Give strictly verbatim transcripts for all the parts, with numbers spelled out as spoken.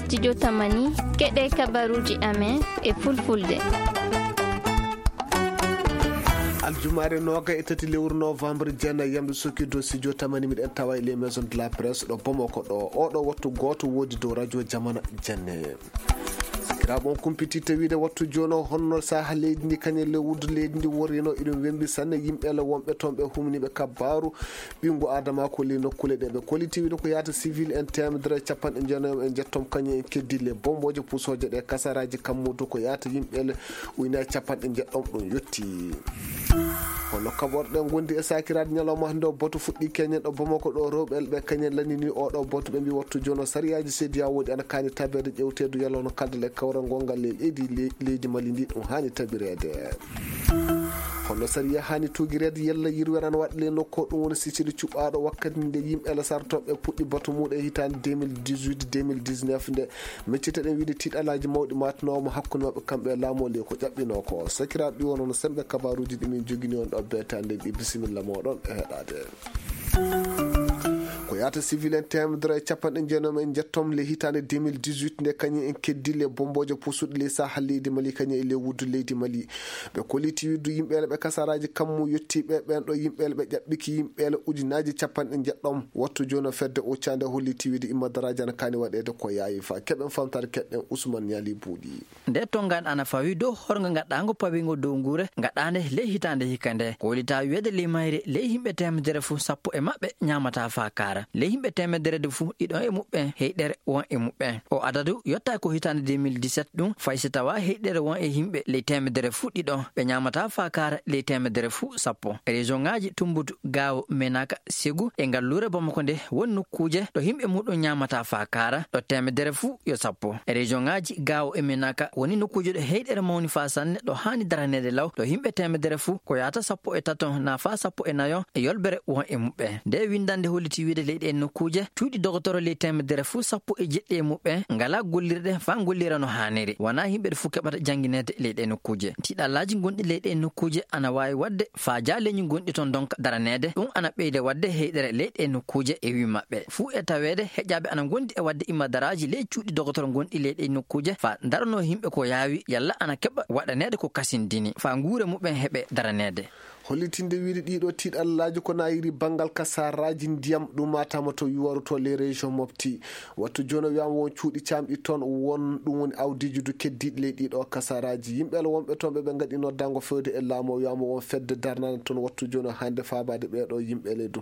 Studio Tamani, keɗe kabaruuji amen e fulfulde. Aljumaare nooga e tati lewru novembre, jeenayi yamɓe sokki dow studio Tamani, miɗen tawa e les maisons de la presse ɗo Bamako ɗo. Oɗo wattu gooto woodi dow radio Jamana Jenne. Sakiraaɓe, on kumpiti tawiide wattu jooni o, honno saha leydi ndi, kañum e lewru leydi ndi worrino, iɗum wembi sanne. Yimɓe le wonɓe toon ɓe humniiɓe kabaaru ɓinngu Aadama ko ley nokkuule ɗe ɓe kolliti wiide ko yahata civil en teemedere e capanɗe jeenayi e jeetati, kañum en keddi le bombooje pusooje ɗe kasaraaji kammudu ko yahata yimɓe le ujunaaji capanɗe jeetati ɗum yotti. Hono kaɓorɗe ngondi e sakiraaji ñalawma hannde o, batu fuɗɗi keñen ɗo Bamako ɗo, rewɓe le ɓe kañum en lanndini oɗo batu, ɓe mbi wattu jooni o sariyaaji sediya woodi ana kaani tabeede ƴewteedu yalla hono kaldal e kawral ngongal le leydi, le-, leydi Mali ndi ɗum haani tabireede. Hono sariya haani tuugireede yalla yirwere ana waɗa le nokku o, ɗum woni Sicili cuɓaaɗo wakkati nde yimɓe le sartooɓe puɗɗi batu muɗum e hitaande deux mille dix-huit, deux mille dix-neuf nde. Miccite ɗen wiide tiiɗalaaji mawɗi maatanooma hakkunde maɓɓe kamɓe e laamu o le ko ƴaɓɓinoo ko. Sakiraaɓe, ɗi wonno sembe kabaruuji ɗi min jogini on ɗo beetaande ɗi. Bisimilla mooɗon e heɗaade. Ko yahata civil en teemedere e capanɗe jeenayi e jeetati le hitaande deux mille dix-huit nde kañum en keddi le bombooje pusuɗe le saha leydi Mali kañum e le wuddu leydi Mali. Ɓe kolliti wiide yimɓe le ɓe kasaraaji kammu yottiiɓe ɓen ɗo yimɓe le ɓe ƴaɓɓiki yimɓe le ujunaaji capanɗe jeetati. Wattu jooni o fedde uccaande holliti wiide imma daraaji ana kaani waɗeede ko yaawi fa. Keɓen famtaade keɗɗen Usman Ñaali Buuɗi. Nde tonngande ana fawi dow horngo gaɗɗaango pawingo dow nguure gaɗɗaande ley hitaande hikka nde. Ko wallita wiyeede ley mayre ley yimɓe teemedere fuu sappo e maɓɓe ñaamata faa kaara. Ley yimɓe teemedere de fuu ɗiɗo e muɓɓen heyɗere won e muɓɓen. O adadu yotta ko hitaande deux mille dix-sept ɗum fay si tawa heyɗere won e yimɓe ley teemedere fuu ɗiɗo ɓe ñaamata faa kaara ley teemedere fuu sappo. Région ŋaaji Tumbutu, Gaawo, Menaka, Segu e ngalluure Bamako nde won nokkuuje ɗo yimɓe muɗum ñaamata faa kaara ɗo teemedere fuu yo sappo. E région ŋaaji Gaawo e Menaka woni nokkuuje ɗo heyɗere mawni faa sanne ɗo haani daraneede law ɗo yimɓe teemedere fuu ko yahata sappo e tato naa faa sappo e nayo e yolbere won e muɓɓen. Nde winndannde holliti wiide ley ɗee nokkuuje cuuɗi dogotoro ley teemedere fuu sappo e jeɗɗi e muɓɓen ngalaa gollirɗe faa ngollira no haaniri. Wanaa yimɓe ɗe fuu keɓata janngineede ley ɗee nokkuuje. Tiiɗallaaji gonɗi ley ɗee nokkuuje ana waawi waɗde faa jaaleeji gonɗi toon ndonka daraneede. Ɗum ana ɓeyda waɗde heyɗere ley ɗee nokkuuje e wii maɓɓe. Fuu e taweede heƴaaɓe ana ngondi e waɗde imma daraaji ley cuuɗi dogotoro gonɗi ley ɗee nokkuuje faa daranoo yimɓe ko yaawi yalla ana keɓa waɗaneede ko kasindini faa nguure muɓɓen heɓe daraneede. Hollitinde wiide ɗiɗo tiiɗallaaji ko nayiri banngal kasaraaji ndiyam ɗumaatama to yuwaru to les régions Mopti. Wattu jooni o wiyaama won cuuɗi caamɗi toon won ɗum woni awdiiji du keddiiɗi ley ɗiɗo kasaraaji. Yimɓe le wonɓe toon ɓe ɓe ngaɗi noddaango fewde e laamu o wiyaama won fedde darnande toon wattu jooni o hannde faabaade ɓeeɗo yimɓe le du.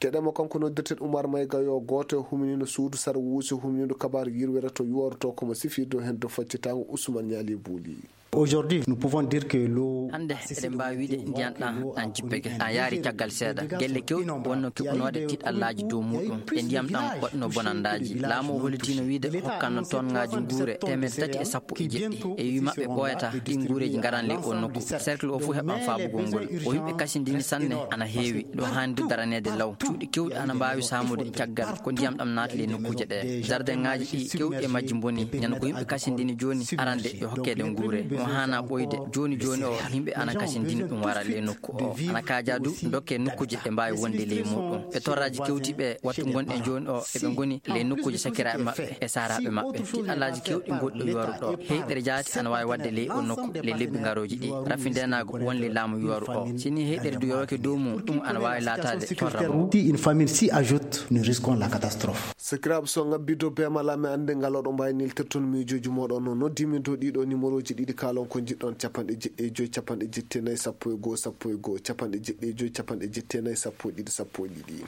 Keɗeemo kanko noddirten Umar Mayga yo gooto e humniino suudu sar wuusi humniino kabaaru yirwere to yuwaru to komo sifii dow heen dow faccitaango Usman Ñaali Buuli. Aujourd'hui, nous pouvons dire que l'eau Hannde eɗen mbaawi wiide ndiyam ɗam ɗam jippike. A yaari caggal seeɗa gelle kewɗe wonno keɓunooɗe tiiɗallaaji dow muɗum e ndiyam ɗam waɗno bonandaaji. Laamu o hollitiino wiide hokkanno toon ngaaji nguure teemedde tati e sappo e jeɗɗi. E wii maɓɓe ɓooyata ɗi nguureeji ngaran ley o nokku. Cercle o fof heɓan faabugol ngol. O yimɓe kasindini sanne ana heewi. Ɗo haani du daraneede law. Cuuɗi kewɗi ana mbaawi saamude caggal ko ndiyam ɗam naati ley nokkuuje ɗe. Jardin ŋaaji ɗi kewɗi e majji mboni. Ñande ko yimɓe kasindini jooni arande yo hokkeede nguure. Mo haana ɓooyde jooni jooni o yimɓe ana kasindini ɗum wara ley nokku o. Ana kaaja du dokke nokkuuje ɗe mbaawi wonde ley muɗum. E torraaji kewti ɓe wattu ngonɗen jooni o eɓe ngoni ley nokkuuje sakiraaɓe maɓɓe e saaraaɓe maɓɓe. Tiiɗallaaji kewɗi ngonɗi yuwaru ɗo. Heyɗere jaati ana waawi waɗde ley o nokku ley lebbi ngarooji ɗi. Rafi ndeenaagu won ley laamu yuwaru o. Si ni heyɗere du yowake dow mum, ɗum ana waawi laataade torra mum. Si une famine s'y ajoute, nous risquons la catastrophe. Sakiraaɓe, so ngabbi dow beemal am e annde ngal oɗo mbaawi neltirton miijooji mooɗon. No noddiimi dow ɗiɗo numéroji ɗiɗi kaalon ko njiɗɗon, capanɗe jeɗɗi e joy, capanɗe jeɗɗi e nayi, sappo e goo, sappo e goo, capanɗe jeɗɗi e joy, capanɗe jeɗɗi e nayi, sappo e ɗiɗi, sappo e ɗiɗi.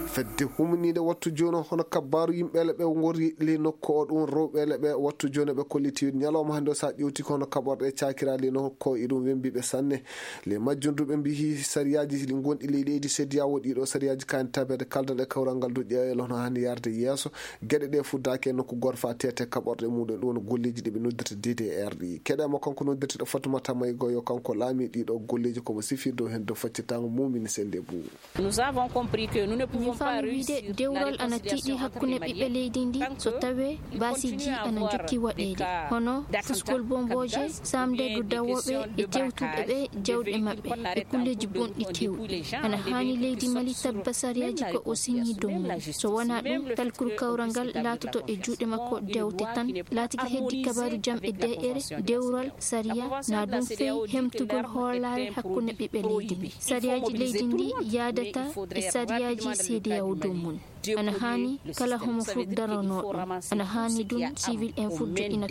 Fedde humniinde wattu jooni o hono kabbaaru yimɓe le ɓe ngori ley nokku o ɗum rewɓe le ɓe wattu jooni ɓe kolliti ñalawma hannde o so a ƴeewti ko hono kaɓorɗe cakiraɗe nokku o iɗum wembiɓe sanne. Le majjum du ɓe mbiyi sariyaaji ɗi ngonɗi ley leydi sediyawo ɗiɗo sariyaaji kaani tabeede kaldal e kawral ngal du ƴeewel hono haani yarde yeeso. Geɗe ɗe fuddaaki e nokku gooto faa teete kaɓorɗe muɗum ɗum woni golleeji ɗi ɓe noddirta D D R ɗi. Keɗe mo kanko noddirteɗo Fatumata Maygo yo kanko laami ɗiɗo golleeji komo sifir dow heen dow faccitaango mumini sende buu. Nous avons compris que nous ne pouvons Wiyde dewral ana tiiɗi hakkunde ɓiɓɓe leydi ndi so tawee baasiiji ana njokki waɗeede, hono fuskol bombooje, saamde dow dawooɓe e tewtuɓe ɓe jawɗe maɓɓe e kulleeji bonɗi keewɗi. Ana haani leydi Mali tabba sariyaaji ko o siñii dow mum. So wonaa ɗum, talkuru kawral ngal laatoto e juuɗe makko dewte tan. Laatiki heddi kabaaru jam e deeƴere, dewral, sariya, na ɗum feyi hemtugol hoolaare hakkunde ɓiɓɓe leydi ndi. Sariyaaji leydi ndi yaadata e sariyaaji C D A O dow mum. Ana haani kala homo fuɗ daranoo ɗum. Ana haani ɗum civil en fuɗ joɗɗina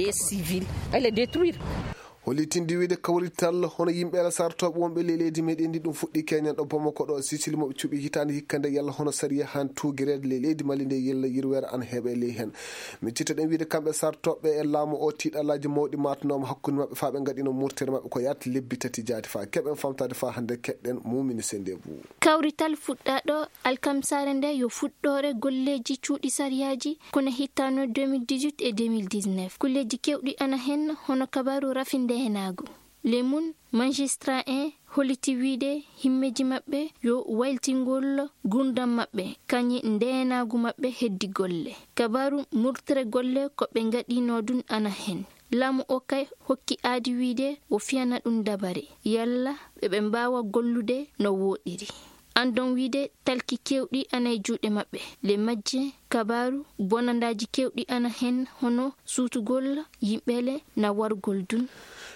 kabaaru. Hollitinde wiyde kawrital hono yimɓe Ala sartooɓe wonɓe ley leydi meɗen ndi ɗum fuɗɗi keñan ɗo Bamako ɗo Sicile moɓe cuɓi hitaande hikka nde yalla hono sariya han tuugireede ley leydi Mali nde yalla yirweere ana heɓe ley heen. Miccito ɗen wiyde kamɓe sartooɓe e laamu o tiiɗalaaji mawɗi matanooma hakkunde maɓɓe faa ɓe ngaɗino murtere maɓɓe ko yaata lebbi tati jaati faa keɓen famtaade faa hannde keɗɗen Mumini Sendebou. Kawrital fuɗɗaaɗo alkamsaare nde yo fuɗɗoore golleeji cuuɗi sariyaaji kono hittaano deux mille dix-huit e deux mille dix-neuf. Kulleeji keewɗi ana heen hono kabaaru rafi ndeenaagu. Ley mum, majistra en holliti wiyde himmeeji maɓɓe yo wayltingol nguurndam maɓɓe, kañum ndeenaagu maɓɓe heddi golle. Kabaaru murtere golle ko ɓe ngaɗinoo ɗum ana heen. Laamu o kay hokki aadi wiyde o fiyana ɗum dabare, yalla ɓe ɓe mbaawa gollude no wooɗiri. Anndon wiyde talki keewɗi ana e juuɗe maɓɓe. Ley majje, kabaaru bonandaaji keewɗi ana heen hono suutugol yimɓeele na wargol dun.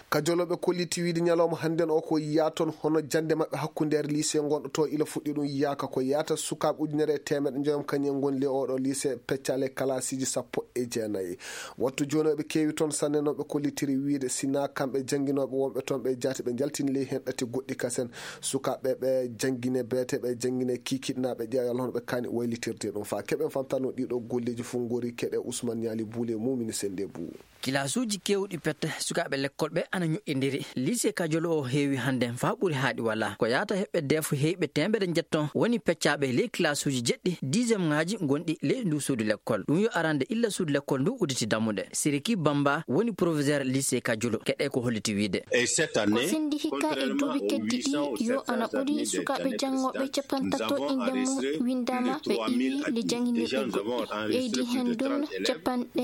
Kajolooɓe kolliti wiyde ñalawma hannden o ko yaaton hono jannde maɓɓe hakkundeere lycée ngonɗo to ila fuɗɗi ɗum yaaka ko yaata sukaaɓe ujunere e teemeɗe njoyam kañum en ngoni le oɗo lycée peccaale kalaasiiji sappo e jeenayi. Wattu jooni o ɓe keewi toon sanne noon ɓe kollitiri wiyde sinaa kamɓe jannginooɓe wonɓe toon ɓe jaati ɓe njaltini ley heen ɗati goɗɗi kasen sukaaɓe ɓe janngine beete ɓe janngine kiikiɗnaaɓe ƴeewa yalla hono ɓe kaani waylitirde ɗum faa keɓen famtano ɗiɗo golleeji fof ngori keɗe Ousmane Ñaali Buule Mumini Sennde Buu. Kilaasuuji keewɗi pette sukaaɓe lekkol ɓe ana ñoƴƴindiri. Lycée Kajolo o heewi hannde faa ɓuri haaɗi walaa. Ko yaata heɓɓe deefo heyɓe teemedere njetto woni peccaaɓe ley kilaasuuji jeɗɗi dixième ŋaaji gonɗi ley nduu suudu lekkol. Ɗum yo arande illa suudu lekkol nduu udditi dammuɗe. Siriki Bamba woni proviseur lycée Kajolo. Keɗe ko holliti wiyde. Ko sendi hikka e duuɓi keddiɗi yo ana ɓuri sukaaɓe janngooɓe capantato innde mum winndaama ɓe iwi le jannginiiɓe goɗɗi. Ɓeydi heen ɗoon capanɗe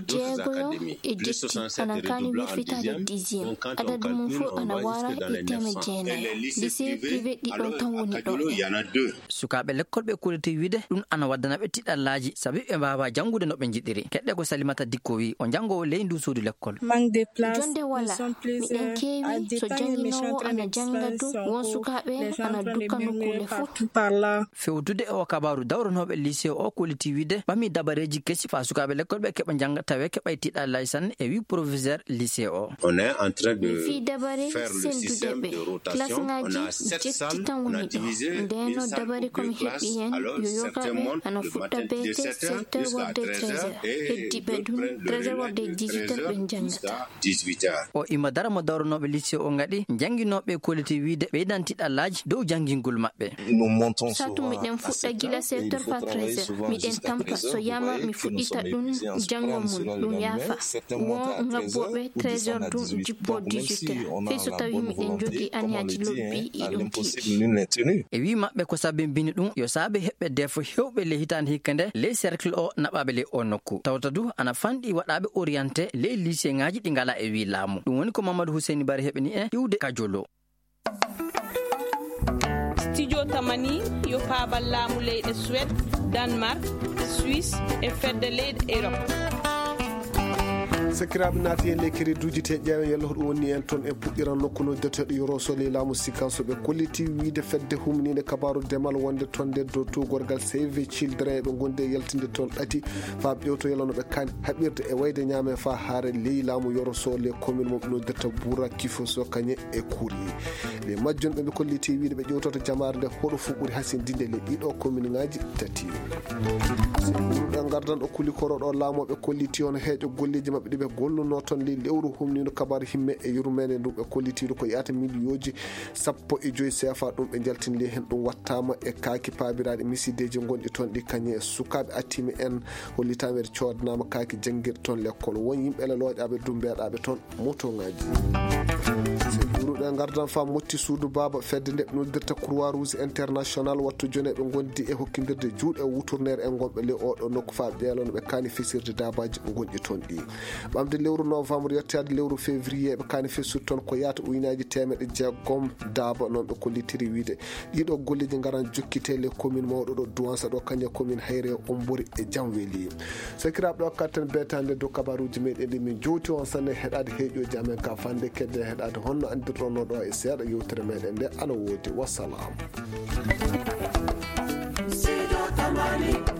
jeegoyo e jetti ana kaani wirfitaade dixième. Adadu mum fof ana wara e teemedde jeenayo. Lycée privé ɗiɗon tan woni ɗo. Sukaaɓe lekkol ɓe kolliti wiyde ɗum ana waddana ɓe tiɗallaaji sabi ɓe mbaawaa janngude no ɓe njiɗiri. Keɗɗe ko Salimata Dikko wii o janngoowo ley nduu suudu lekkol. Jonnde walaa. Miɗen keewi so jannginoowo ana jannga dow won sukaaɓe ana dukka nokkuule fof. Fewtude e o kabaaru dawronooɓe lycée o kolliti wiyde ɓami dabareeji kesi faa sukaaɓe lekkol ɓe keɓa njannga tawee keɓay tiɗallaaji sanne e wii proviseur lycée o. Min fii dabare senndude ɓe. Kilasŋaaji jetti tan woni ɗo. Ndeenoo dabare ko mi heɓi heen yo yogaaɓe ana fuɗɗa beete sept heures wonde treize heures. Heddiiɓe ɗum treize heures wonde dix-huit heures ɓe njanngata. O ima dara mo dawronooɓe lycée o ngaɗi jannginooɓe kolliti wiyde ɓeydan tiɗallaaji dow janngingol maɓɓe. Saatu miɗen fuɗɗa gila sept heures faa treize heures. Miɗen tampa so yama mi fuɗɗita ɗum janngo mum ɗum yaafa. Won ŋabbooɓe treize heures ɗum jippoo dix-huit heures. Fii so tawii miɗen njogii aniyaaji lobbi iɗum tiiɗi. E wii maɓɓe ko sabimbini ɗum yo saabe heɓɓe deefo heewɓe ley hitaande hikka nde ley cercle o naɓaaɓe ley o nokku. Tawta du ana fanɗi waɗaaɓe orienté ley lycée ŋaaji ɗi ngalaa e wii laamu. Ɗum woni ko Mamadou Hussein Bari heɓini en iwde Kajolo. Studio Tamani yo paabal laamu leyɗe Suède, Danemark, Suisse e fedde leyɗe Europe. Sakiraaɓe naati heen ley kere duuji te ƴeewen yalla hoɗum wonni en toon e puɗɗiran nokku no deteɗo yoroso ley laamu sikanso ɓe kolliti wiyde fedde humniinde kabaaru demal wonde toon nde dow tuugorgal Save Children eɓe ngondi e yaltinde toon ɗati faa ɓewto yalla no ɓe kaani haɓirde e wayde ñaame faa haare ley laamu yoroso ley commune mo ɓe noddirta Buura Kifoso Kañe e Kuri. Ley majjum ɓe ɓe kolliti wiyde ɓe ƴewtoto jamaare nde hoɗo fof ɓuri hasindinde ley ɗiɗo commune ŋaaji tati. Ɓurɗo ngardan ɗo kuli koro ɗo laamooɓe kolliti hono heeƴo golleeji maɓɓe ɗi ɓe golluno toon ley lewru humniino kabaaru himme e yurmeende ndu ɓe kollitiiɗo ko yaata miliyooji sappo e joyi seefa ɗum ɓe njaltini ley heen ɗum wattaama e kaaki paabiraaɗi misideeji ngonɗi toon ɗi kañe e sukaaɓe attiimi en hollitaama ɓe coodanaama kaaki janngirɗe toon lekkol won yimɓe lelooƴaaɓe dumbeeɗaaɓe toon motoŋaaji. Seɗɗuru Ɓe ngardan faa motti suudu baaba fedde nde nuldirta Croix Rouge International, wattu joneeɓe ngondi e hokkindirde juuɗe wuturneere e ngonɓe le oɗo nokku faa ɓeelon ɓe kaani fisirde daabaaji gonɗi toon ɗi. Ɓamde lewru novembre yettoyaade lewru février ɓe kaani fisude toon ko yaata ujunaaji teemeɗe jeegom daaba, noon ɓe kollitiri wiide. Ɗiɗo golleeji ngaran jokkite le commune mawɗo ɗo Duwansa ɗo kañe commune Hayre, Ombori e Jamweli. Sakiraaɓe, ɗo katten beetaande dow kabaruuji meɗen ɗi min jowti on sanne heɗaade heeƴooji amen ka fande kedde heɗaade honno anndirɗon no ɗo e seeɗa yewtere meɗen nde ana woodi. Wassalam. Sido Tamani.